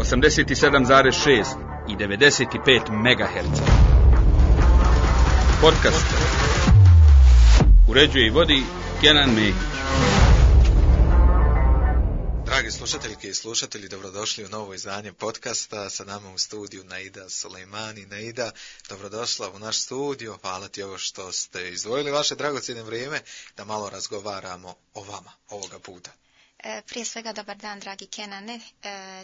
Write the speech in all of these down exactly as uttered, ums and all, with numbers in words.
osamdeset sedam zarez šest i devedeset pet megaherca. Podcast uređuje i vodi Kenan Mehić. Dragi slušateljke i slušatelji, dobrodošli u novo izdanje podcasta. Sa nama u studiju Naida Sulejmani. Naida, dobrodošla u naš studio. Hvala ti ovo što ste izdvojili vaše dragocjeno vrijeme da malo razgovaramo o vama ovoga puta. Prije svega dobar dan, dragi Kenane,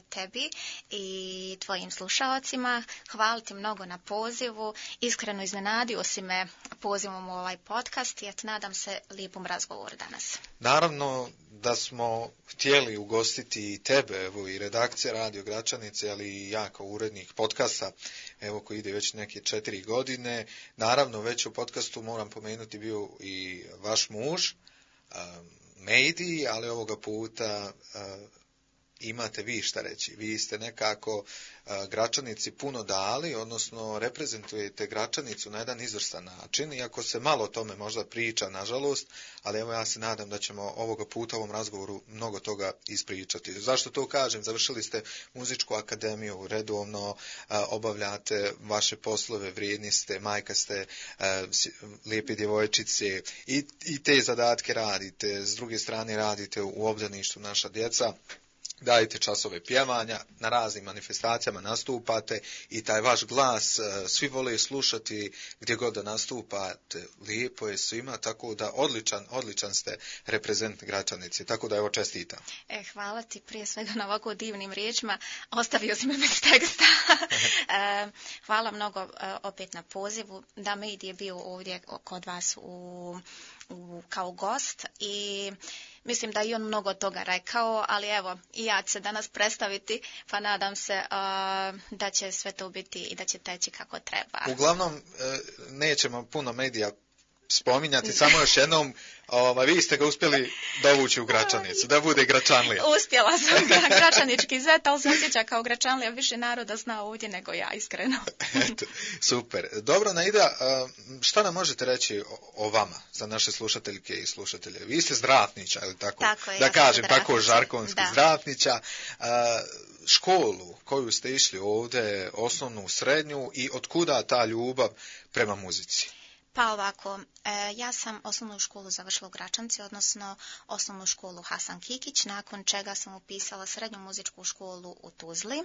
tebi i tvojim slušalcima. Hvala ti mnogo na pozivu. Iskreno iznenadio si me pozivom u ovaj podcast i nadam se lijepom razgovoru danas. Naravno da smo htjeli ugostiti i tebe, evo i redakcija Radio Gračanice, ali i ja kao urednik podcasta, evo koji ide već neke četiri godine. Naravno već u podcastu moram pomenuti bio i vaš muž, um, Mejdi, ali ovoga puta uh, imate vi šta reći. Vi ste nekako uh, Gračanici puno dali, odnosno reprezentujete Gračanicu na jedan izvrstan način, iako se malo o tome možda priča, nažalost, ali evo ja se nadam da ćemo ovoga puta u ovom razgovoru mnogo toga ispričati. Zašto to kažem? Završili ste muzičku akademiju, redovno uh, obavljate vaše poslove, vrijedni ste, majka ste, uh, lijepe djevojčice i, i te zadatke radite, s druge strane radite u obdaništu Naša djeca. Dajete časove pjevanja, na raznim manifestacijama nastupate i taj vaš glas svi vole slušati gdje god da nastupate. Lijepo je svima, tako da odličan, odličan ste reprezent Gračanice, tako da evo čestitam. E, hvala ti prije svega na ovako divnim riječima. Ostavio si me bez teksta. e, hvala mnogo opet na pozivu. Da, Mejdi je bio ovdje kod vas u, u, kao gost i mislim da i on mnogo toga rekao, ali evo, i ja ću se danas predstaviti, pa nadam se uh, da će sve to biti i da će teći kako treba. Uglavnom, nećemo puno medija spominjati, samo još jednom, ovaj, vi ste ga uspjeli dovući u Gračanicu, da bude Gračanlija. Uspjela sam ga, Gračanički zet, ali se osjeća kao Gračanlija, više naroda zna ovdje nego ja, iskreno. Eto, super. Dobro, Naida, šta nam možete reći o, o vama, za naše slušateljke i slušatelje? Vi ste Zdravnića, ili tako? Tako je, da ja kažem, Zdravnića. tako žarkonski, da. Zdravnića. Školu koju ste išli ovdje, osnovnu, srednju, i otkuda ta ljubav prema muzici? Pa ovako, e, ja sam osnovnu školu završila u Gračanci, odnosno osnovnu školu Hasan Kikić, nakon čega sam upisala srednju muzičku školu u Tuzli.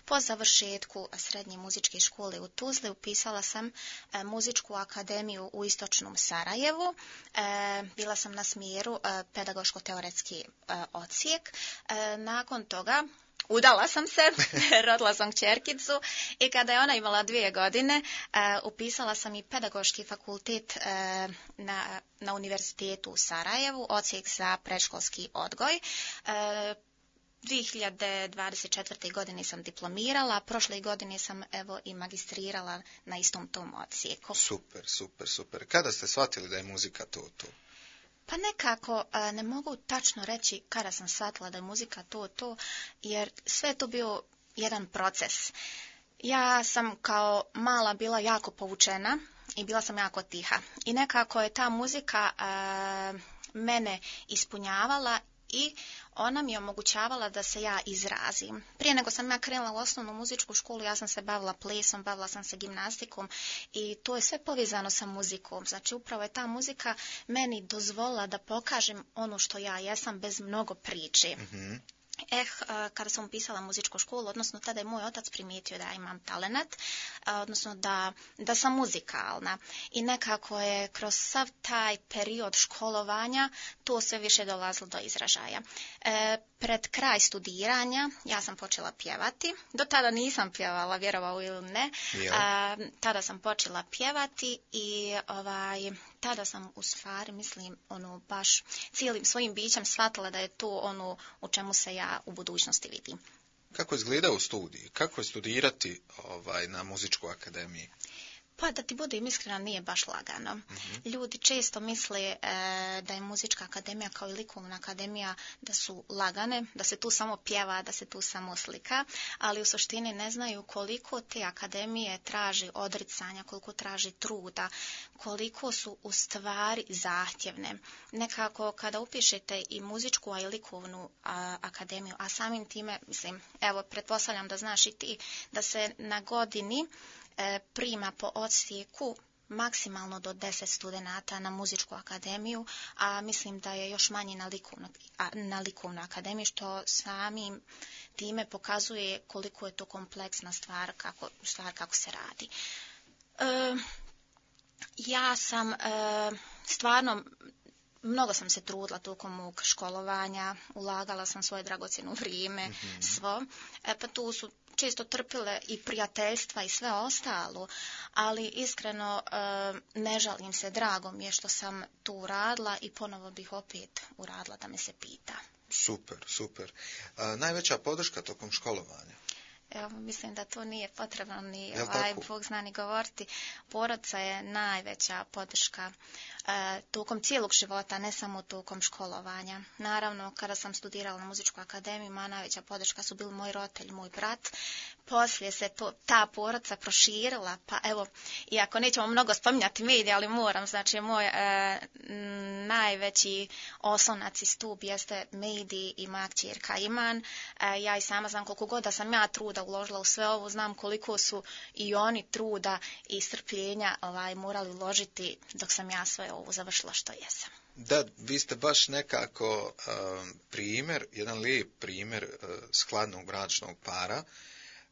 Po završetku srednje muzičke škole u Tuzli upisala sam e, muzičku akademiju u istočnom Sarajevu. E, bila sam na smjeru e, pedagoško-teoretski e, odsjek. E, nakon toga udala sam se, rodila sam kćerkicu i kada je ona imala dvije godine, uh, upisala sam i pedagoški fakultet uh, na, na univerzitetu u Sarajevu, odsjek za predškolski odgoj. Uh, dvije hiljade dvadeset četvrte. godine sam diplomirala, prošle godine sam evo i magistrirala na istom tom odsjeku. Super, super, super. Kada ste shvatili da je muzika to, to? Pa nekako ne mogu tačno reći kada sam shvatila da je muzika to, to, jer sve je to bio jedan proces. Ja sam kao mala bila jako povučena i bila sam jako tiha. I nekako je ta muzika uh, mene ispunjavala i ona mi je omogućavala da se ja izrazim. Prije nego sam ja krenula u osnovnu muzičku školu, ja sam se bavila plesom, bavila sam se gimnastikom i to je sve povezano sa muzikom. Znači upravo je ta muzika meni dozvolila da pokažem ono što ja jesam bez mnogo priče. Mm-hmm. Eh, kada sam upisala muzičku školu, odnosno tada je moj otac primijetio da ja imam talenat, odnosno da, da sam muzikalna. I nekako je kroz sav taj period školovanja to sve više dolazilo do izražaja. E, pred kraj studiranja ja sam počela pjevati. Do tada nisam pjevala, vjerovao ili ne. A, tada sam počela pjevati i ovaj, tada sam u stvari, mislim, ono, baš cijelim svojim bićem shvatila da je to ono u čemu se ja u budućnosti vidim. Kako izgleda u studiji? Kako je studirati ovaj, na muzičkoj akademiji? Pa da ti budem iskrena, nije baš lagano. Mm-hmm. Ljudi često misle e, da je muzička akademija kao i likovna akademija da su lagane, da se tu samo pjeva, da se tu samo slika, ali u suštini ne znaju koliko te akademije traži odricanja, koliko traži truda, koliko su u stvari zahtjevne. Nekako kada upišete i muzičku, a i likovnu a, akademiju, a samim time, mislim, evo, pretpostavljam da znaš i ti, da se na godini e, prima po odsjeku maksimalno do deset studenata na muzičku akademiju, a mislim da je još manje na likovnu, na likovnu akademiju, što samim time pokazuje koliko je to kompleksna stvar, kako, stvar kako se radi. E, ja sam e, stvarno, mnogo sam se trudila tokom mog školovanja, ulagala sam svoje dragocjeno vrijeme, mm-hmm. svo, e, pa tu su često trpile i prijateljstva i sve ostalo, ali iskreno e, ne žalim se, drago mi je što sam tu uradila i ponovo bih opet uradila da me se pita. Super, super. A, najveća podrška tokom školovanja? Evo, mislim da to nije potrebno ni, ovaj, Bog zna ni govoriti. Porodica je najveća podrška e, tokom cijelog života, ne samo tokom školovanja. Naravno, kada sam studirala na muzičku akademiju, moja najveća podrška su bili moj roditelj, moj brat. Poslije se to, ta porodica proširila, pa evo, iako nećemo mnogo spominjati medije, ali moram, znači moj e, najveći oslonac i stup jeste mediji i moja kćerka Iman. E, ja i sama znam koliko god da sam ja truda uložila u sve ovo, znam koliko su i oni truda i strpljenja ovaj, morali uložiti dok sam ja sve ovo završila što jesam. Da, vi ste baš nekako um, primjer, jedan lijep primjer uh, skladnog bračnog para,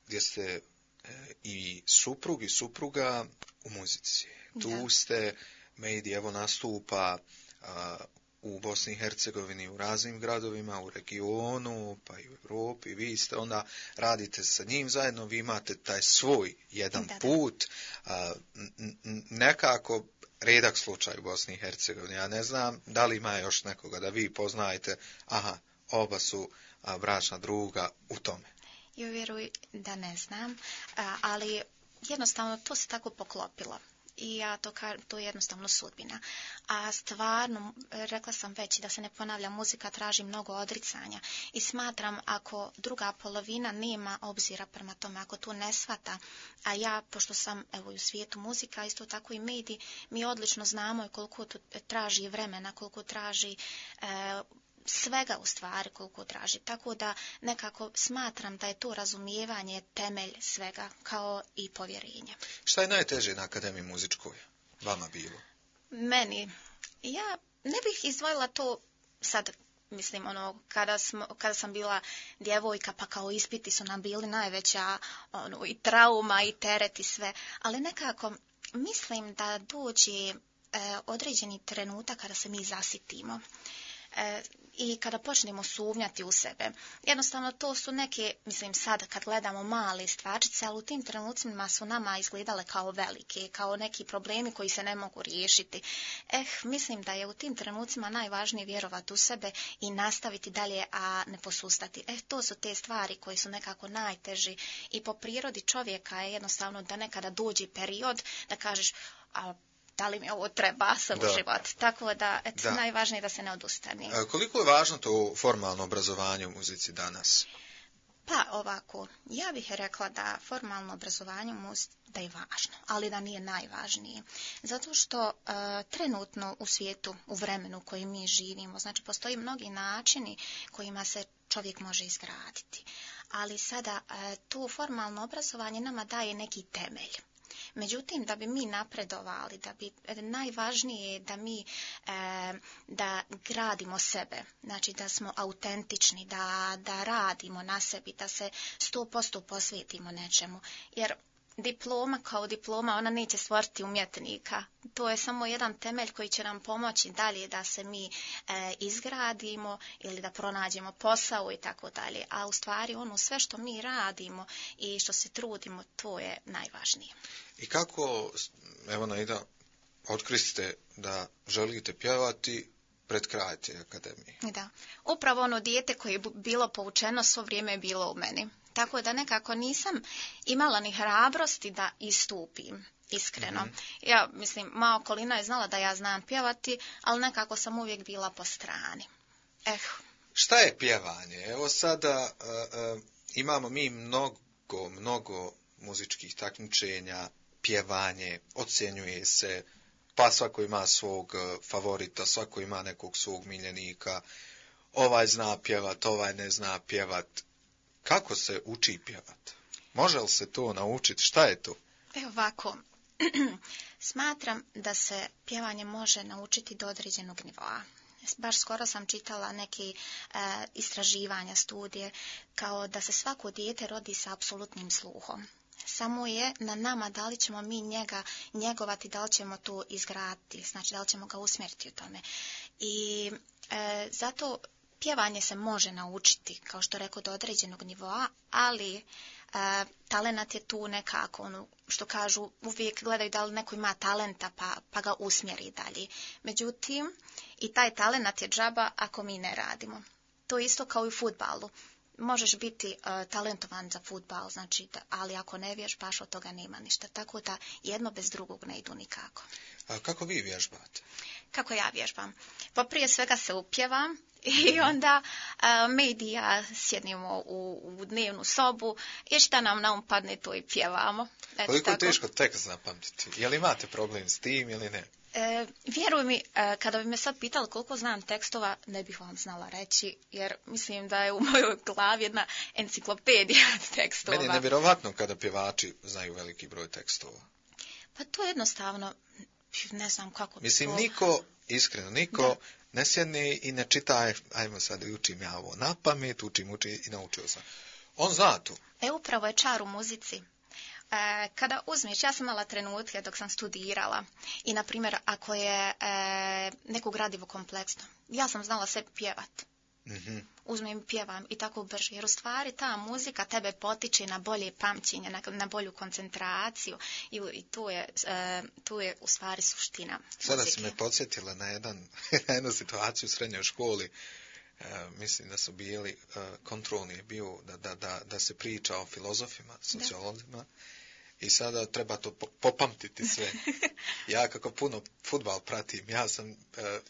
gdje ste uh, i suprug i supruga u muzici. Tu da. Ste, medij evo nastupa uh, u Bosni i Hercegovini, u raznim gradovima, u regionu, pa i u Europi. Vi ste onda, radite sa njim zajedno, vi imate taj svoj jedan da, put. Da. Uh, n- n- nekako redak slučaj u Bosni i Hercegovini. Ja ne znam da li ima još nekoga da vi poznajete, aha, oba su a, bračna druga u tome. Ja vjeruj da ne znam, a, ali jednostavno to se tako poklopilo. I ja to, to je jednostavno sudbina. A stvarno, rekla sam već da se ne ponavlja, muzika traži mnogo odricanja. I smatram ako druga polovina nema obzira prema tome, ako to ne shvata, a ja, pošto sam evo u svijetu muzika, isto tako i mediji, mi odlično znamo koliko to traži vremena, koliko traži e, svega u stvari koliko traži. Tako da nekako smatram da je to razumijevanje temelj svega, kao i povjerenje. Šta je najteže na Akademiji muzičkoj vama bilo? Meni, ja ne bih izdvojila to sad, mislim, ono, kada, smo, kada sam bila djevojka, pa kao ispiti su nam bili najveća ono, i trauma i teret i sve, ali nekako mislim da dođe e, određeni trenutak kada se mi zasitimo. E, i kada počnemo sumnjati u sebe. Jednostavno to su neke, mislim sad kad gledamo male stvarčice, ali u tim trenucima su nama izgledale kao velike, kao neki problemi koji se ne mogu riješiti. Eh, mislim da je u tim trenucima najvažnije vjerovati u sebe i nastaviti dalje, a ne posustati. Eh, to su te stvari koji su nekako najteži i po prirodi čovjeka je jednostavno da nekada dođe period da kažeš, a da li mi ovo treba sad u život. Tako da, et, da, najvažnije je da se ne odustane. A koliko je važno to formalno obrazovanje u muzici danas? Pa ovako, ja bih rekla da formalno obrazovanje u muzici da je važno, ali da nije najvažnije. Zato što e, trenutno u svijetu, u vremenu u kojem mi živimo, znači postoji mnogi načini kojima se čovjek može izgraditi. Ali sada e, to formalno obrazovanje nama daje neki temelj. Međutim, da bi mi napredovali, da bi najvažnije je da mi e, da gradimo sebe, znači da smo autentični, da, da radimo na sebi, da se sto posto posvetimo nečemu. Jer diploma kao diploma, ona neće stvoriti umjetnika. To je samo jedan temelj koji će nam pomoći dalje da se mi e, izgradimo ili da pronađemo posao i tako dalje. A u stvari ono sve što mi radimo i što se trudimo, to je najvažnije. I kako, evo Naida, otkriste da želite pjevati pred kraj te akademije? Da, upravo ono dijete koje je bilo poučeno svo vrijeme je bilo u meni. Tako da nekako nisam imala ni hrabrosti da istupim iskreno. Mm-hmm. Ja, mislim, moja okolina je znala da ja znam pjevati, ali nekako sam uvijek bila po strani. Eh. Šta je pjevanje? Evo sada uh, uh, imamo mi mnogo, mnogo muzičkih takmičenja, pjevanje, ocjenjuje se, pa svako ima svog favorita, svako ima nekog svog miljenika, ovaj zna pjevat, ovaj ne zna pjevat. Kako se uči pjevat? Može li se to naučiti? Šta je to? Evo ovako, smatram da se pjevanje može naučiti do određenog nivoa. Baš skoro sam čitala neki e, istraživanja, studije, kao da se svako dijete rodi sa apsolutnim sluhom. Samo je na nama da li ćemo mi njega njegovati, da li ćemo to izgraditi, znači da li ćemo ga usmjeriti u tome. I e, zato pjevanje se može naučiti, kao što rekao, do određenog nivoa, ali e, talenat je tu nekako, ono što kažu, uvijek gledaju da li neko ima talenta pa, pa ga usmjeri dalje. Međutim, i taj talenat je džaba ako mi ne radimo. To je isto kao i u fudbalu. Možeš biti uh, talentovan za fudbal, znači, da, ali ako ne vježbaš, od toga nema ništa. Tako da jedno bez drugog ne idu nikako. A kako vi vježbate? Kako ja vježbam? Pa prije svega se upjevam i onda uh, mi i ja sjednimo u, u dnevnu sobu i šta nam na um padne, to i pjevamo. Eto, koliko je tako. teško tekst zapamtiti? Je li imate problem s tim ili ne? E, vjeruj mi, e, kada bi me sad pitali koliko znam tekstova, ne bih vam znala reći, jer mislim da je u mojoj glavi jedna enciklopedija tekstova. Meni je nevjerovatno kada pjevači znaju veliki broj tekstova. Pa to je jednostavno, ne znam kako Mislim, to... niko, iskreno, niko da. ne sjedne i ne čita, ajmo sad učim ja ovo na pamet, učim, učim i naučio sam. On zna to. E, upravo je čar u muzici. E, kada uzmeš, ja sam imala trenutke dok sam studirala i, na primjer, ako je e, neko gradivo kompleksno, ja sam znala sve pjevat. Mm-hmm. Uzmem i pjevam i tako brže, jer u stvari ta muzika tebe potiče na bolje pamćenje, na, na bolju koncentraciju i, i tu, je, e, tu je u stvari suština Sada muzike. si me podsjetila na, jedan, na jednu situaciju u srednjoj školi. E, mislim da su bili, e, kontrolni je bio da, da, da, da se priča o filozofima, sociolozima. Da. I sada treba to popamtiti sve. Ja kako puno fudbal pratim, ja sam e,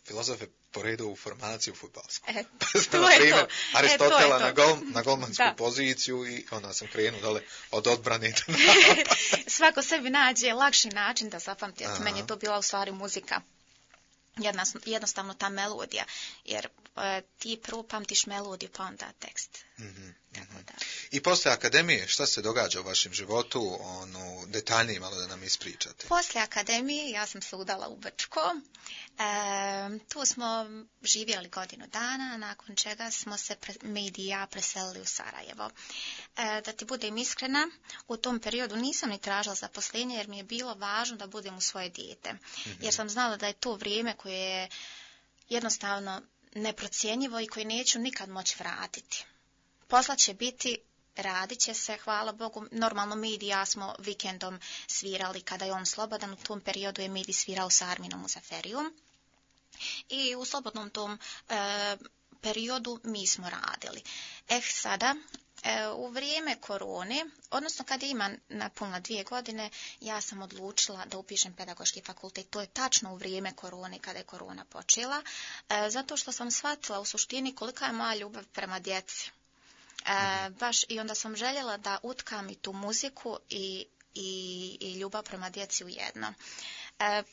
filozofe poredu u formaciju fudbalsku. E, pa sam, to na je primjer, to. Aristotela E, to je to. na, gol, na golmansku da. poziciju i onda sam krenuo dole od odbrane do Svako sebi nađe lakši način da zapamti. Meni je to bila u stvari muzika. Jedna, jednostavno ta melodija, jer e, ti prvo pamtiš melodiju pa onda tekst. Mm-hmm. Tako da. I poslije akademije, šta se događa u vašem životu, ono, detaljnije malo da nam ispričate? Poslije akademije ja sam se udala u Brčko. E, tu smo živjeli godinu dana, nakon čega smo se pre, mi i ja preselili u Sarajevo. E, da ti budem iskrena, u tom periodu nisam ni tražila zaposlenje jer mi je bilo važno da budem u svoje dijete. Mm-hmm. Jer sam znala da je to vrijeme koje je jednostavno neprocjenjivo i koje neću nikad moći vratiti. Posla će biti, radit će se, hvala Bogu. Normalno Midi i ja smo vikendom svirali kada je on slobodan. U tom periodu je Midi svirao sa Arminom u Zaferiju. I u slobodnom tom e, periodu mi smo radili. Eh, sada, e, u vrijeme korone, odnosno kad je ima napunila dvije godine, ja sam odlučila da upišem pedagoški fakultet. To je tačno u vrijeme korone, kada je korona počela, e, zato što sam shvatila u suštini kolika je moja ljubav prema djeci. E, baš i onda sam željela da utkam i tu muziku i, i, i ljubav prema djeci u jedno. E,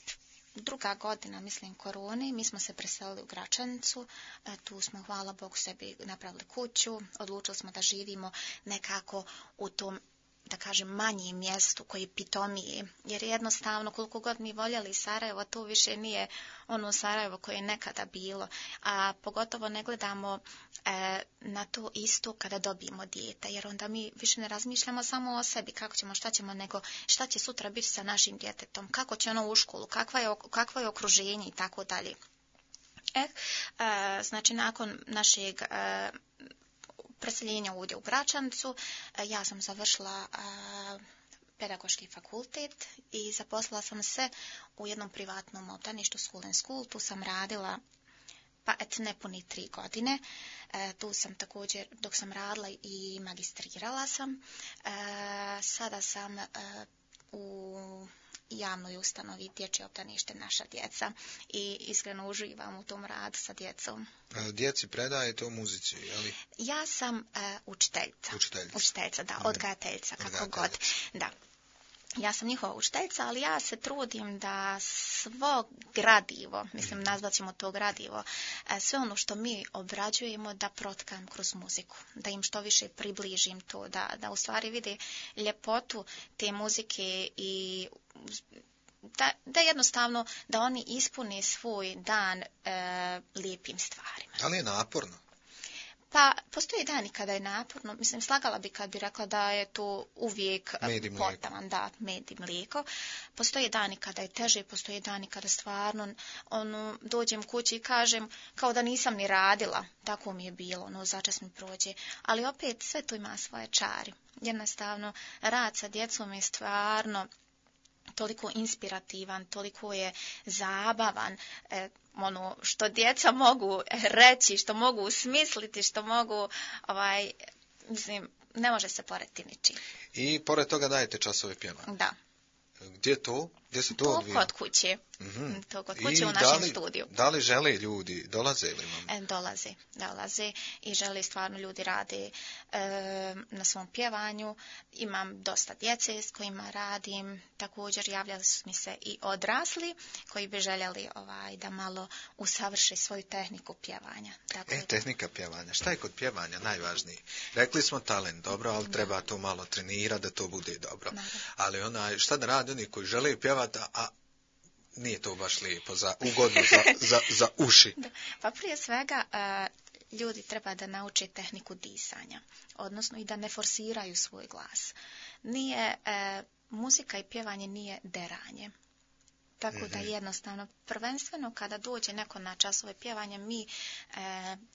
druga godina, mislim, korone, mi smo se preselili u Gračanicu, e, tu smo, hvala Bogu, sebi napravili kuću, odlučili smo da živimo nekako u tom, da kažem, manjem mjestu koji pitomije, jer jednostavno koliko god mi voljeli Sarajevo, to više nije ono Sarajevo koje je nekada bilo, a pogotovo ne gledamo e, na to isto kada dobijemo dijete, jer onda mi više ne razmišljamo samo o sebi, kako ćemo, šta ćemo, nego šta će sutra biti sa našim djetetom, kako će ono u školu, kakva je, kakvo je okruženje i tako dalje. E, e, znači, nakon našeg e, preseljenja ovdje u Gračanicu, ja sam završila a, pedagoški fakultet i zaposlila sam se u jednom privatnom obdaništu School and School. Tu sam radila, pa et nepuni tri godine. E, tu sam također, dok sam radila i magistrirala sam. E, sada sam e, u javnoj ustanovi Dječje obdanište Naša djeca i iskreno uživam u tom radu sa djecom. Djeci predajete o muzici, je li? Ja sam uh, učiteljica. Učiteljica. Učiteljica, da, Mhm. odgajateljica, kako Odgajateljica. god. Da. Ja sam njihova učiteljica, ali ja se trudim da svo gradivo, mislim nazvat ćemo to gradivo, e, sve ono što mi obrađujemo da protkam kroz muziku, da im što više približim to, da, da u stvari vide ljepotu te muzike i da, da jednostavno da oni ispune svoj dan e, lijepim stvarima. Ali je naporno. Pa, postoji dani kada je naporno, mislim, slagala bi kad bi rekla da je to uvijek Med i mlijeko. potaman, da, med i mlijeko. Postoji dani kada je teže, postoji dani kada stvarno, ono, dođem kući i kažem kao da nisam ni radila, tako mi je bilo, ono, začas mi prođe. Ali opet sve to ima svoje čari. Jednostavno, rad sa djecom je stvarno toliko inspirativan, toliko je zabavan, e, ono što djeca mogu reći, što mogu smisliti, što mogu, ovaj, mislim, ne može se porediti ničim. I pored toga dajete časove pjevanja. Da. Gdje to? Gdje se to To odvija? kod kuće. Mhm. To kod I kuće u da našem li- studiju. Da li žele ljudi, dolaze li vam? E, dolaze, dolaze i žele stvarno ljudi rade e, na svom pjevanju. Imam dosta djece s kojima radim. Također javljali su mi se i odrasli koji bi željeli ovaj, da malo usavrše svoju tehniku pjevanja. Tako E, da- tehnika pjevanja. Šta je kod pjevanja najvažniji? Rekli smo talent, dobro, ali treba to malo trenirati da to bude dobro. Naravno. Ali onaj, šta da rade oni koji žele pjevati, a nije to baš lijepo, za, ugodno za, za, za uši. Da. Pa prije svega e, ljudi treba da nauče tehniku disanja, odnosno i da ne forsiraju svoj glas. Nije, e, muzika i pjevanje nije deranje. Tako da jednostavno, prvenstveno kada dođe neko na časove pjevanja, mi e,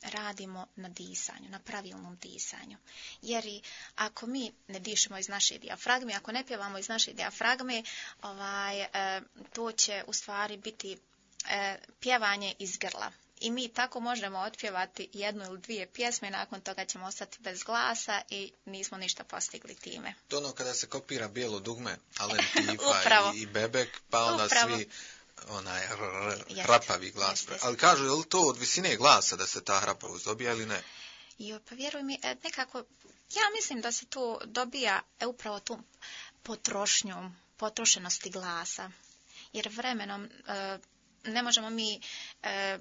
radimo na disanju, na pravilnom disanju. Jer i ako mi ne dišemo iz naše dijafragme, ako ne pjevamo iz naše dijafragme, ovaj, e, to će u stvari biti e, pjevanje iz grla. I mi tako možemo otpjevati jednu ili dvije pjesme, nakon toga ćemo ostati bez glasa i nismo ništa postigli time. To ono kada se kopira bijelo dugme, Alen Pifa Upravo. i, i Bebek, pa onda Upravo. svi onaj r- r- Jeste, hrapavi glas. jeste, jeste. Ali kažu, je li to od visine glasa da se ta hrapavost dobija ili ne? Jo, pa vjeruj mi, e, nekako, ja mislim da se to dobija e, upravo tu potrošnjom, potrošenosti glasa. Jer vremenom e, ne možemo mi e,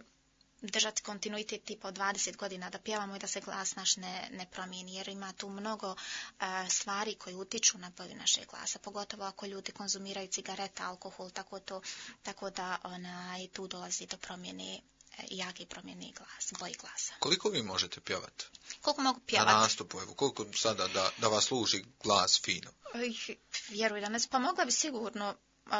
držati kontinuitet tipa od dvadeset godina da pjevamo i da se glas naš ne, ne promijeni, jer ima tu mnogo e, stvari koje utiču na boju našeg glasa, pogotovo ako ljudi konzumiraju cigarete, alkohol, tako, to, tako da onaj, tu dolazi do promjene, e, jake promjene glas, boji glasa. Koliko vi možete pjevati? Koliko mogu Na pjevati? nastupu, evo, koliko sada da, da vas služi glas fino? Oj, vjeruj da ne znam, pa mogla bi sigurno uh,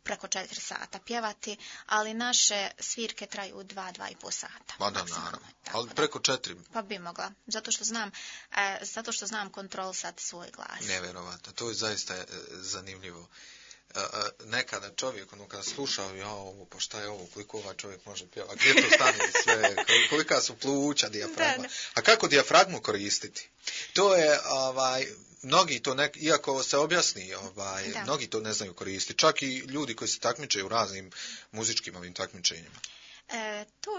preko četiri sata pjevati, ali naše svirke traju dva, dva i pol sata. Pa da, maksimalno. naravno. Tako Ali da. preko četiri, Pa bi mogla, zato što znam, e, zato što znam kontrolisati svoj glas. nevjerovatno. To je zaista e, zanimljivo. E, e, nekada čovjek, ono kada slušao, ja ovo, pa šta je ovo, koliko ovaj čovjek može pjevati, gdje to stane sve, kolika su pluća, dijafragma. Da, da. A kako dijafragmu koristiti? To je, ovaj, mnogi to, nek, iako se objasni, ovaj, Da. mnogi to ne znaju koristiti. Čak i ljudi koji se takmiče u raznim muzičkim ovim takmičenjima. E, to,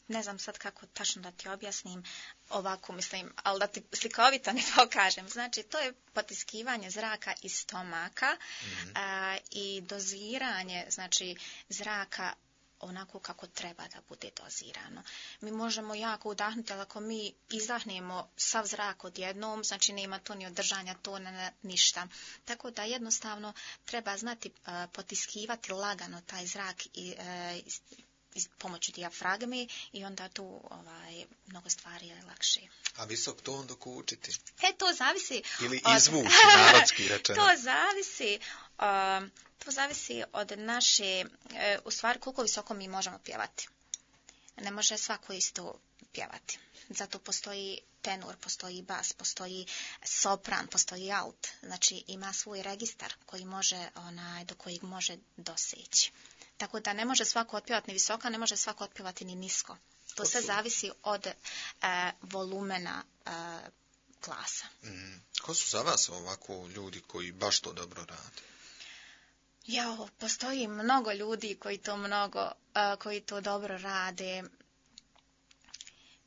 ne znam sad kako tačno da ti objasnim ovako, mislim, ali da ti slikovito ne pokažem. Znači, to je potiskivanje zraka iz stomaka Mhm. a, i doziranje, znači, zraka onako kako treba da bude dozirano. Mi možemo jako udahnuti, ali ako mi izdahnemo sav zrak odjednom, znači nema tu ni održanja tona, ništa. Tako da jednostavno treba znati a, potiskivati lagano taj zrak i e, iz, iz pomoću dijafragme i onda tu ovaj, mnogo stvari je lakše. A visok ton dok učiti? E, to zavisi... Ili od- izvući, narodski rečeno. To zavisi, um, to zavisi od naše, e, u stvari koliko visoko mi možemo pjevati. Ne može svako isto pjevati. Zato postoji tenor, postoji bas, postoji sopran, postoji alt. Znači ima svoj registar koji može, onaj, do kojeg može doseći. Tako da ne može svako otpjevati ni visoko, ne može svako otpjevati ni nisko. To sve zavisi od e, volumena e, glasa. Mm. Ko su za vas ovako ljudi koji baš to dobro rade? Jao, postoji mnogo ljudi koji to mnogo, uh, koji to dobro rade.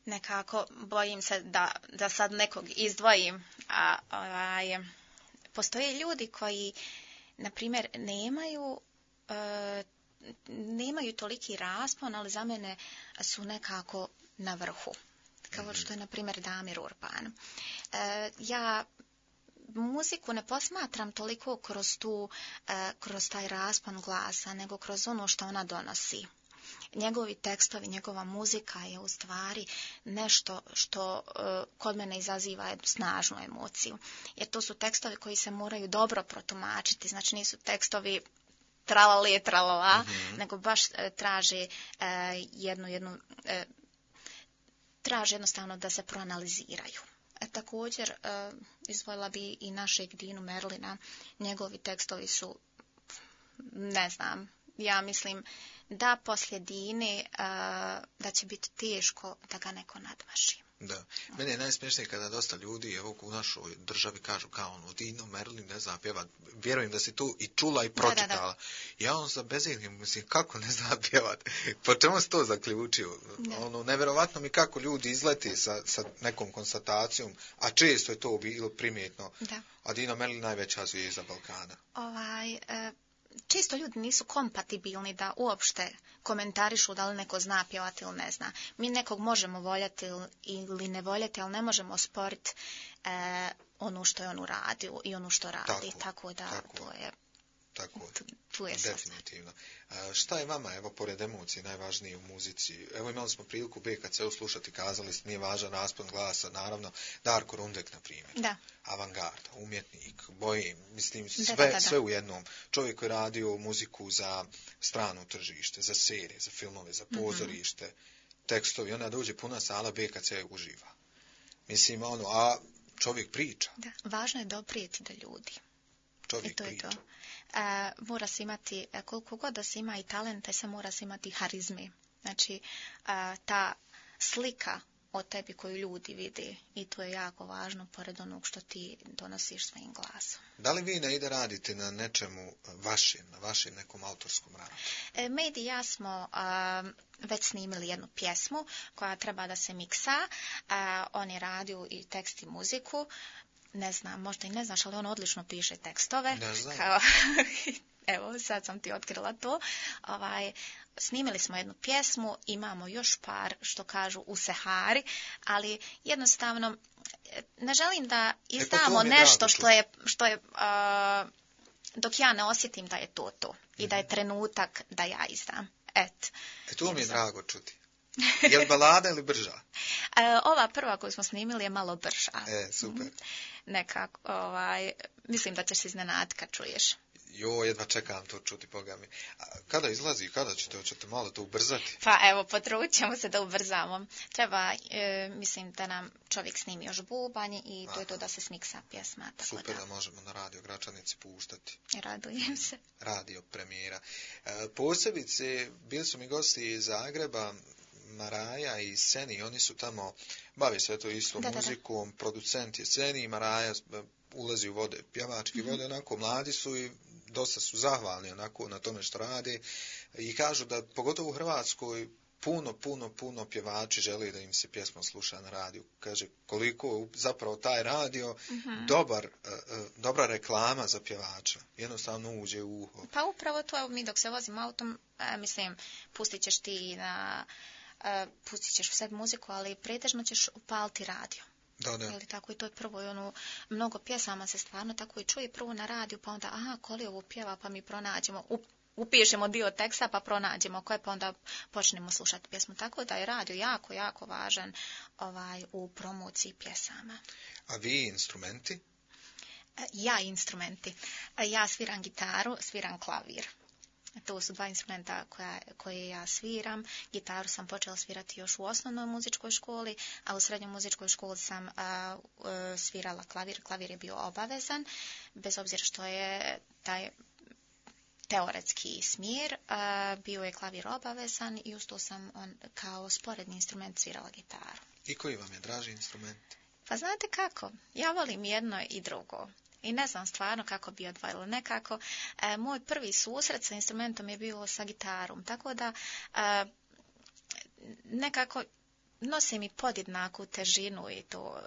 Nekako bojim se da, da sad nekog izdvojim. A, ovaj, postoje ljudi koji, na primjer, nemaju, uh, nemaju toliki raspon, ali za mene su nekako na vrhu. Kao što je, na primjer, Damir Urban. Uh, ja muziku ne posmatram toliko kroz tu, kroz taj raspon glasa, nego kroz ono što ona donosi. Njegovi tekstovi, njegova muzika je u stvari nešto što kod mene izaziva jednu snažnu emociju. Jer to su tekstovi koji se moraju dobro protumačiti, znači nisu tekstovi tralali, tralala, mm-hmm. nego baš traže jednu, jednu, traže jednostavno da se proanaliziraju. E, također, e, izdvojila bi i našeg Dinu Merlina. Njegovi tekstovi su, ne znam, ja mislim da poslije Dine e, da će biti teško da ga neko nadmaši. Da. Meni je najsmješnije kada dosta ljudi evo, u našoj državi kažu kao ono, Dino Merlin ne zna pjevat. Vjerujem da si tu i čula i pročitala. Da, da, da. Ja on za bezidnim, mislim, kako ne zna pjevat? Po čemu si to zaključio? Da. Ono, nevjerovatno mi kako ljudi izleti sa, sa nekom konstatacijom, a često je to bilo primjetno. Da. A Dino Merlin najveća zvijezda Balkana. Ovaj... E... Čisto ljudi nisu kompatibilni da uopšte komentarišu da li neko zna pjevati ili ne zna. Mi nekog možemo voljeti ili ne voljeti, ali ne možemo osporiti e, ono što je on uradio i ono što radi. Tako, tako da tako, to je... Tako, tu, tu je definitivno. A, šta je vama, evo, pored emocije, najvažnije u muzici? Evo, imali smo priliku B K C-u slušati, kazali ste, nije važan raspon glasa, naravno, Darko Rundek, na primjer. Da. Avangarda, umjetnik, bojem, mislim, sve, da, da, da. sve u jednom. Čovjek koji je radio muziku za strano tržište, za serije, za filmove, za pozorište, mm-hmm. tekstovi, onda dođe puna sala, B K C uživa. Mislim, ono, a čovjek priča. Da, važno je doprijeti do ljudi. Čovjek I to priča. Je to. E, mora se imati, koliko god da se ima i talente, se mora se imati harizme. Znači, e, ta slika o tebi koju ljudi vide i to je jako važno pored onog što ti donosiš svojim glasom. Da li vi ne ide radite na nečemu vašem, na vašem nekom autorskom radu? E, Medi i ja smo a, već snimili jednu pjesmu koja treba da se miksa. A, on je radio i tekst i muziku. Ne znam, možda i ne znaš, ali on odlično piše tekstove. Ne znam. Kao, evo, sad sam ti otkrila to. Ovaj, snimili smo jednu pjesmu, imamo još par, što kažu, u Sehari, ali jednostavno ne želim da izdamo e, nešto što je, što je uh, dok ja ne osjetim da je to to. I mm-hmm. da je trenutak da ja izdam. Et, e to mi je drago čuti. Je li balada ili brža? E, ova prva koju smo snimili je malo brža. E, super. Nekako, ovaj, mislim da ćeš se iznenaditi kad čuješ. Jo, jedva čekam to čuti, Boga mi. A kada izlazi, kada ćete, hoćete malo to ubrzati? Pa evo, potrudit ćemo se da ubrzamo. Treba, e, mislim, da nam čovjek snimi još bubanj i to Aha. je to da se smiksa pjesma. Tako super da. da možemo na Radio Gračanici puštati. Radujem se. Radio premijera. E, posebice, bili su mi gosti iz Zagreba, Maraja i Seni, oni su tamo, bave se to isto da, muzikom, da, da. Producent je Seni i Maraja ulazi u vode, pjevački mm-hmm. vode, onako mladi su i dosta su zahvalni onako na tome što rade i kažu da pogotovo u Hrvatskoj puno, puno, puno pjevači žele da im se pjesma sluša na radiju. Kaže koliko zapravo taj radio mm-hmm. dobar, uh, dobra reklama za pjevača. Jednostavno uđe u uho. Pa upravo to, mi dok se vozim autom, e, mislim, pustit ćeš ti na... Uh, pustit ćeš u sebi muziku, ali pretežno ćeš upaliti radio. Da, da. Ili tako i to je prvo i ono, mnogo pjesama se stvarno tako i čuje prvo na radiju, pa onda, aha, ko li ovo pjeva, pa mi pronađemo, up, upišemo dio teksta, pa pronađemo koje, pa onda počnemo slušati pjesmu. Tako da je radio jako, jako važan ovaj, u promociji pjesama. A vi instrumenti? Ja instrumenti. Ja sviram gitaru, sviram klavir. To su dva instrumenta koja, koje ja sviram. Gitaru sam počela svirati još u osnovnoj muzičkoj školi, a u srednjoj muzičkoj školi sam a, a, svirala klavir. Klavir je bio obavezan, bez obzira što je taj teoretski smjer, a, bio je klavir obavezan i uz to sam on, kao sporedni instrument svirala gitaru. I koji vam je draži instrument? Pa znate kako, ja volim jedno i drugo. I ne znam stvarno kako bi odvojila. Nekako, e, moj prvi susret sa instrumentom je bio sa gitarom. Tako da, e, nekako nosi mi podjednaku težinu i to...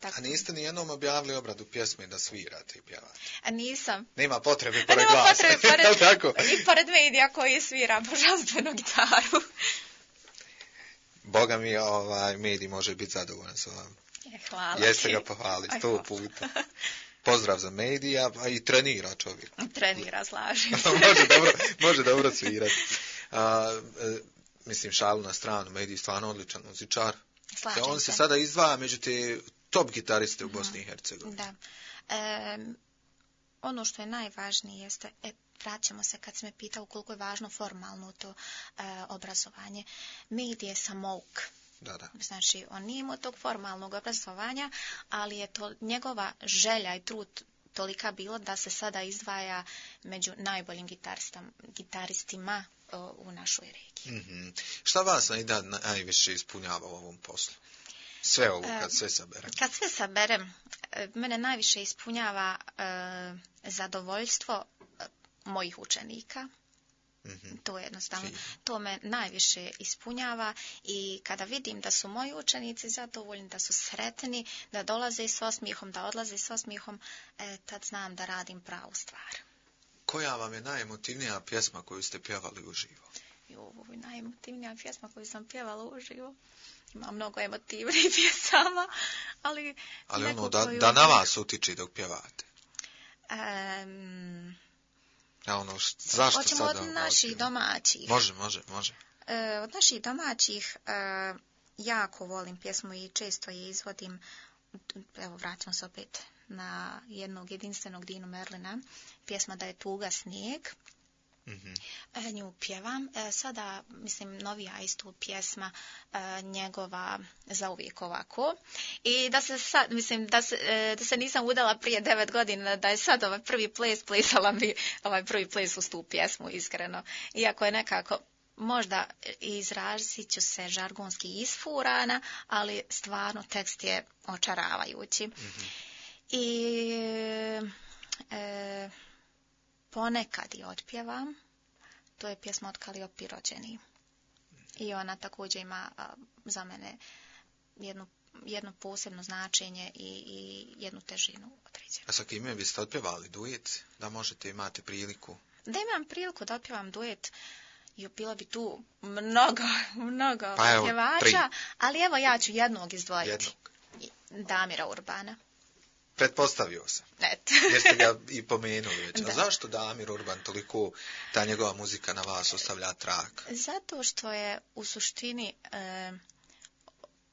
Tako. A niste ni jednom objavili obradu pjesme da svirate i pjevate? A nisam. Nema potrebe pored Nema glasa. potrebe pored, tako? I pored medija koji svira božanstvenu gitaru. Boga mi, ovaj, medij može biti zadovoljan sa vama. Je, hvala Jeste ti. ga pohvalili sto puta. Pozdrav za medija, a i trenira čovjek. Trenira, slažem. može, dobro, može dobro svirati. A, e, mislim, šalu na stranu, medij stvarno odličan muzičar. Slažem On se se. sada izdvaja među te top gitariste u Bosni i Hercegovini. Da. E, ono što je najvažnije jeste, e, vraćamo se kad se me pitao koliko je važno formalno to e, obrazovanje. Medij je samouk. Da, da. Znači, on nije imao tog formalnog obrazovanja, ali je to njegova želja i trud tolika bilo da se sada izdvaja među najboljim gitaristima o, u našoj regiji. Mm-hmm. Šta vas najda najviše ispunjava u ovom poslu? Sve ovo, kad sve saberem. Kad sve saberem, mene najviše ispunjava e, zadovoljstvo mojih učenika. Mm-hmm. To je jednostavno, Fino. To me najviše ispunjava i kada vidim da su moji učenici zadovoljni, da su sretni, da dolaze s osmijehom, da odlaze s osmijehom, e, tad znam da radim pravu stvar. Koja vam je najemotivnija pjesma koju ste pjevali uživo? Jo, najemotivnija pjesma koju sam pjevala uživo. Ima mnogo emotivnih pjesama, ali... Ali ono, da, koju... da na vas utiči dok pjevate. Um, A ono, št, zašto hoćemo sada? od naših domaćih. Može, može, može. E, od naših domaćih e, jako volim pjesmu i često je izvodim. Evo, vraćam se opet na jednog jedinstvenog Dinu Merlina. Pjesma Da je tuga snijeg. Mm-hmm. E, nju pjevam. E, sada, mislim, novija istu pjesma e, njegova Zauvijek ovako. I da se sad, mislim, da se, e, da se nisam udala prije devet godina, da je sad ovaj prvi ples, plesala bi ovaj prvi ples uz tu pjesmu, iskreno. Iako je nekako, možda izrazit ću se žargonski isfurana, ali stvarno tekst je očaravajući. Mm-hmm. I e, ponekad je otpjevam. To je pjesma od Kaliopi rođeni. I ona također ima a, za mene jednu, jedno posebno značenje i, i jednu težinu određenu. A sa kime biste otpjevali duet? Da možete imati priliku? Da imam priliku da otpjevam duet, jo, bilo bi tu mnogo, mnogo pa pjevača, ali evo ja ću jednog izdvojiti. Jednog. Damira Urbana. Pretpostavio sam. Eto. Jer ste ga i pomenuli već. A zašto Damir Urban toliko, ta njegova muzika na vas ostavlja trag? Zato što je u suštini e,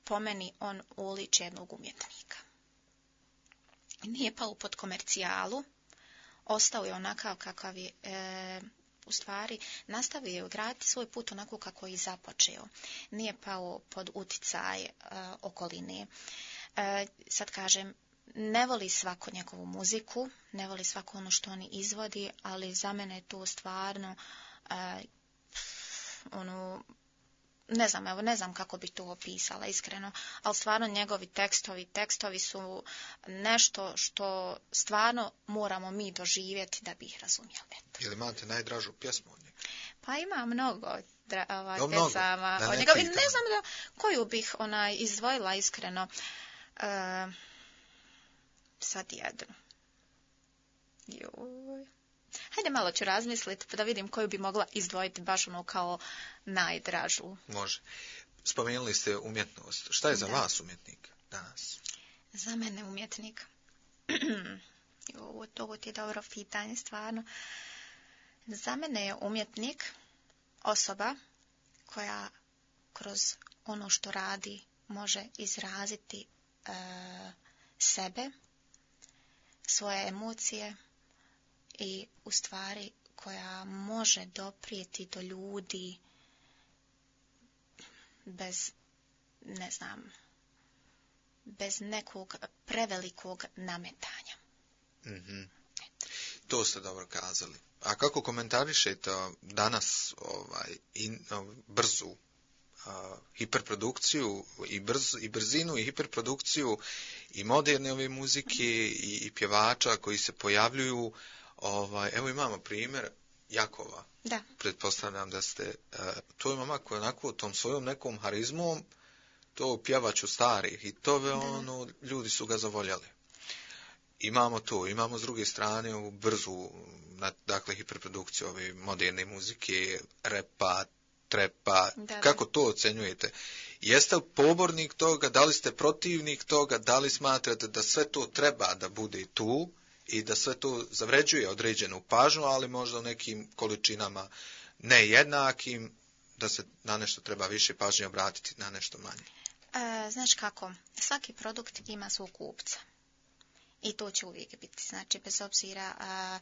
po meni on uliče jednog umjetnika. Nije pao pod komercijalu, ostao je onakav kakav je, e, u stvari nastavio graditi svoj put onako kako je i započeo. Nije pao pod uticaj e, okoline. E, sad kažem, ne voli svako njegovu muziku, ne voli svako ono što oni izvodi, ali za mene je to stvarno, e, ono, ne znam, evo, ne znam kako bi to opisala iskreno, ali stvarno njegovi tekstovi, tekstovi su nešto što stvarno moramo mi doživjeti da bi ih razumjeli. Eto. Ili imate najdražu pjesmu od njega? Pa ima mnogo dra, ovaj, no, pesama od njega. Ne znam da koju bih onaj izdvojila iskreno. E, sad jedno. Joj. Hajde malo ću razmisliti pa da vidim koju bi mogla izdvojiti baš ono kao najdražu. Može. Spomenuli ste umjetnost. Šta je za da. vas umjetnik danas? Za mene umjetnik. Ovo, ovo ti je dobro pitanje, stvarno. Za mene je umjetnik osoba koja kroz ono što radi može izraziti e, sebe, svoje emocije i u stvari koja može doprijeti do ljudi bez, ne znam, bez nekog prevelikog nametanja. Mm-hmm. To ste dobro kazali. A kako komentarišete danas ovaj, in, brzu a, hiperprodukciju i, brz, i brzinu i hiperprodukciju i moderne ove muzike i, i pjevača koji se pojavljuju. Ovaj, evo imamo primjer Jakova. Da. Pretpostavljam da ste, uh, to je mama koja onako tom svojom nekom harizmom, to pjevaću stari hitove, da. Ono, ljudi su ga zavoljali. Imamo to, imamo s druge strane ovu brzu, dakle, hiperprodukciju ove moderne muzike, repa, trepa, da, kako to ocenjujete? Jeste li pobornik toga, da li ste protivnik toga, da li smatrate da sve to treba da bude tu i da sve to zavređuje određenu pažnju, ali možda u nekim količinama nejednakim, da se na nešto treba više pažnje obratiti, na nešto manje? E, znaš kako, svaki produkt ima svog kupca. I to će uvijek biti, znači bez obzira a,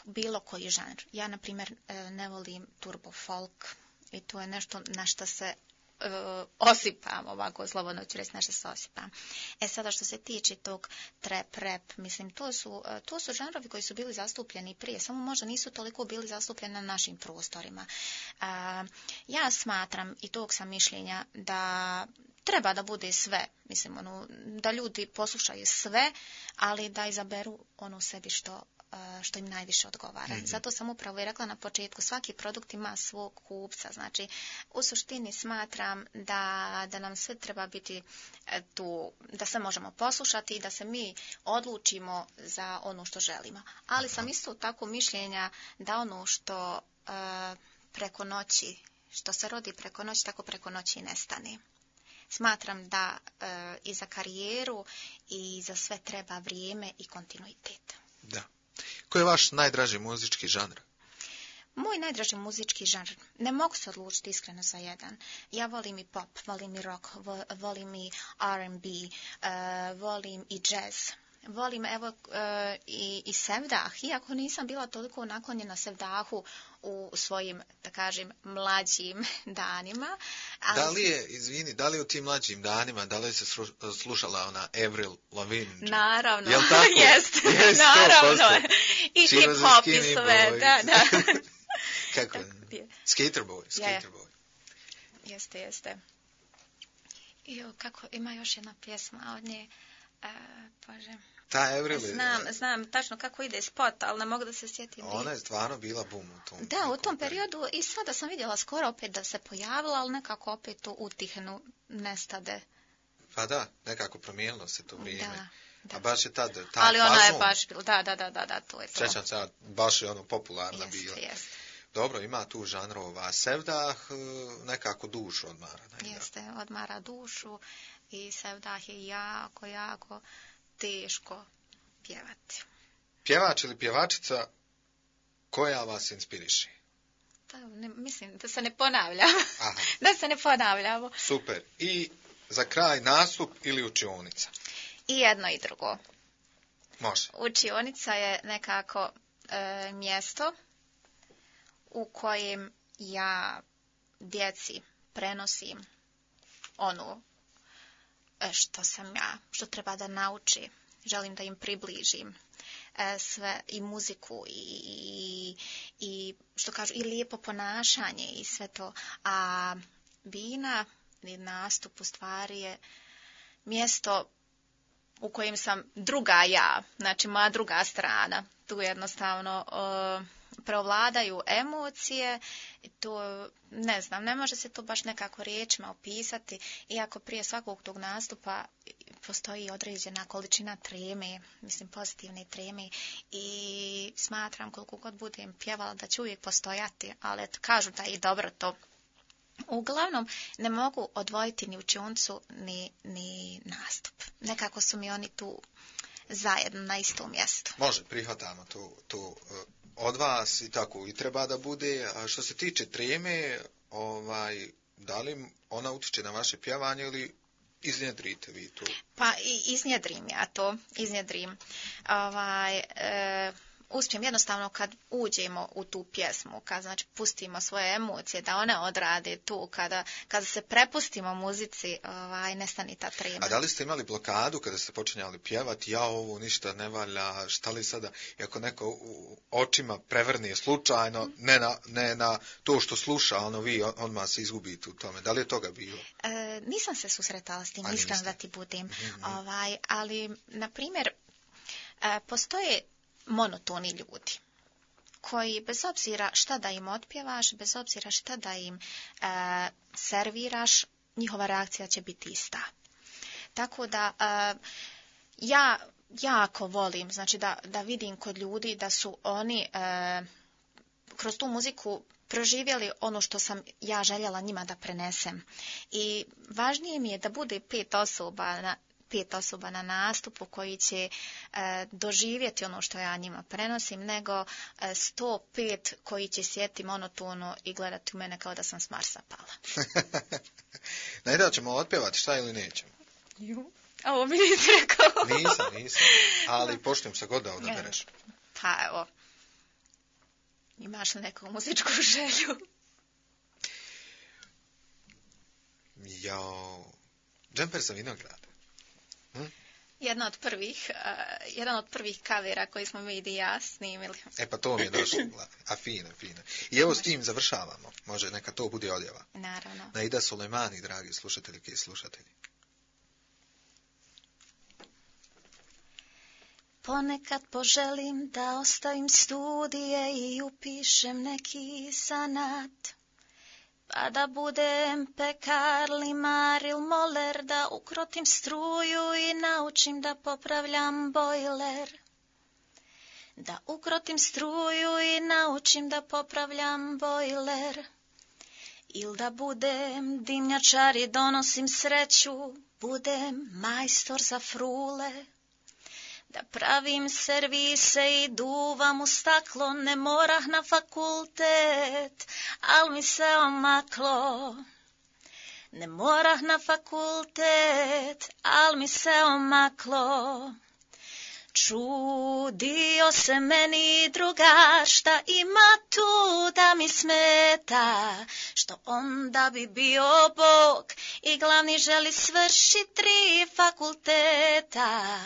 bilo koji žanr. Ja, na primjer, ne volim turbo folk i to je nešto na što se uh, osipam, ovako slobodno ću reći, na što se osipam. E sada što se tiče tog trap, rap, mislim, to su, uh, to su žanrovi koji su bili zastupljeni prije, samo možda nisu toliko bili zastupljeni na našim prostorima. Uh, ja smatram i tog sam mišljenja da treba da bude sve, mislim, ono, da ljudi poslušaju sve, ali da izaberu ono sebi što, što im najviše odgovara. Mm-hmm. Zato sam upravo i rekla na početku, svaki produkt ima svog kupca. Znači, u suštini smatram da, da nam sve treba biti tu, da sve možemo poslušati i da se mi odlučimo za ono što želimo. Ali sam isto tako mišljenja da ono što uh, preko noći, što se rodi preko noći, tako preko noći i nestane. Smatram da e, i za karijeru i za sve treba vrijeme i kontinuitet. Da. Koji je vaš najdraži muzički žanr? Moj najdraži muzički žanr, ne mogu se odlučiti iskreno za jedan. Ja volim i pop, volim i rock, volim i R and B, e, volim i jazz. Volim evo e, i, i sevdah, iako nisam bila toliko naklonjena sevdahu u svojim, da kažem, mlađim danima. Ali... Da li je, izvini, da li u tim mlađim danima, da li se slušala ona Avril Lavigne? Naravno, jel tako? Jest, yes, naravno. I hip-hop i sve, da, da. Kako je? Skater boy, skater boy. Jeste, jeste. I kako, ima još jedna pjesma od nje. Uh, Bože. Ta Avril, znam, znam tačno kako ide spot, ali ne mogu da se sjetim. Ona je stvarno bila bum u tom. Da, u tom periodu i sada sam vidjela skoro opet da se pojavila, ali nekako opet to utihnu, nestade. Pa da, nekako promijenilo se to vrijeme. Da, da. A baš je tad, taj ali ona fazon, je baš bila, da, da, da, da, da, to je to. Sjećam se, baš je ono popularna jest, bila. Jest. Dobro, ima tu žanrova. Sevdah nekako dušu odmara. Ne? Jeste, odmara dušu i sevdah je jako, jako teško pjevati. Pjevač ili pjevačica koja vas inspiriše? Da, ne, mislim da se ne ponavljam. Aha. Da se ne ponavljamo. Super. I za kraj nastup ili učionica? I jedno i drugo. Može. Učionica je nekako e, mjesto u kojem ja djeci prenosim ono što sam ja, što treba da nauči. Želim da im približim e, sve i muziku i, i, i što kažu i lijepo ponašanje i sve to. A bina i nastup u stvari je mjesto u kojem sam druga ja, znači moja druga strana. Tu jednostavno e, preovladaju emocije, to ne znam, ne može se to baš nekako riječima opisati, iako prije svakog tog nastupa postoji određena količina treme, mislim pozitivne treme i smatram koliko god budem pjevala da će uvijek postojati, ali kažu da je dobro to. Uglavnom, ne mogu odvojiti ni učioncu ni, ni nastup. Nekako su mi oni tu zajedno na istom mjestu. Može, prihvatamo to, to od vas i tako i treba da bude. A što se tiče treme, ovaj, da li ona utiče na vaše pjevanje ili iznjedrite vi to? Pa i iznjedrim ja to, iznjedrim. Ovaj, e, uspijem jednostavno kad uđemo u tu pjesmu, kad znači pustimo svoje emocije, da one odrade tu, kada, kada se prepustimo muzici, ovaj, nestani ta trema. A da li ste imali blokadu kada ste počinjali pjevati, ja ovo ništa ne valja, šta li sada, i ako neko u očima prevrni slučajno, mm. ne, na, ne na to što sluša, ono vi odmah se izgubite u tome. Da li je toga bilo? E, nisam se susretala s tim, iskreno da ti budem. Mm-hmm. Ovaj, ali, na primjer, e, postoje monotoni ljudi koji bez obzira šta da im otpjevaš, bez obzira šta da im e, serviraš, njihova reakcija će biti ista. Tako da e, ja jako volim, znači da, da vidim kod ljudi da su oni e, kroz tu muziku proživjeli ono što sam ja željela njima da prenesem. I važnije mi je da bude pet osoba na pet osoba na nastupu koji će e, doživjeti ono što ja njima prenosim, nego e, sto pet koji će sjeti monotono i gledati u mene kao da sam s Marsa pala. Najda ćemo otpjevati, šta ili nećemo? Ju. Ovo mi nisi rekao. Nisam, nisam. Ali poštujem se god da odabereš. Pa evo. Imaš li neku muzičku želju? Jao. Džemper za vinograd. Hm? Jedna od prvih, uh, jedan od prvih kavera koji smo mi i ja snimili. E pa to mi je došlo. A fino, fino. I evo s tim završavamo. Može, neka to bude odjava. Naravno. Naida Sulejmani, dragi slušateljke i slušatelji. Ponekad poželim da ostavim studije i upišem neki zanat, pa da budem pekar, limar ili moler, da ukrotim struju i naučim da popravljam bojler. Da ukrotim struju i naučim da popravljam bojler. Ili da budem dimnjačar i donosim sreću, budem majstor za frule. Da pravim servise i duvam u staklo, ne morah na fakultet, al mi se omaklo. Ne morah na fakultet, al mi se omaklo. Čudio se meni drugar, šta ima tu da mi smeta, što onda bi bio Bog i glavni želi svršiti tri fakulteta.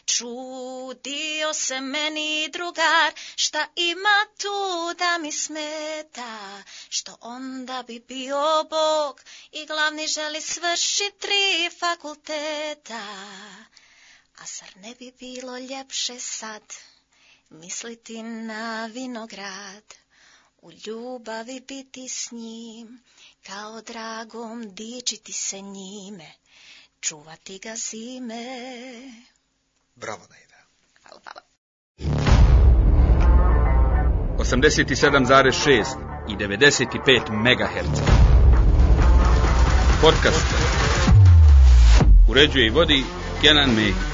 Čudio se meni drugar, šta ima tu da mi smeta, što onda bi bio Bog i glavni želi svršiti tri fakulteta. A zar ne bi bilo ljepše sad misliti na vinograd, u ljubavi biti s njim, kao dragom dičiti se njime, čuvati ga zime. Bravo, Naida. Hvala, hvala. osamdeset sedam zarez šest i devedeset pet megaherca. Podcast. Uređuje i vodi Kenan Mehić.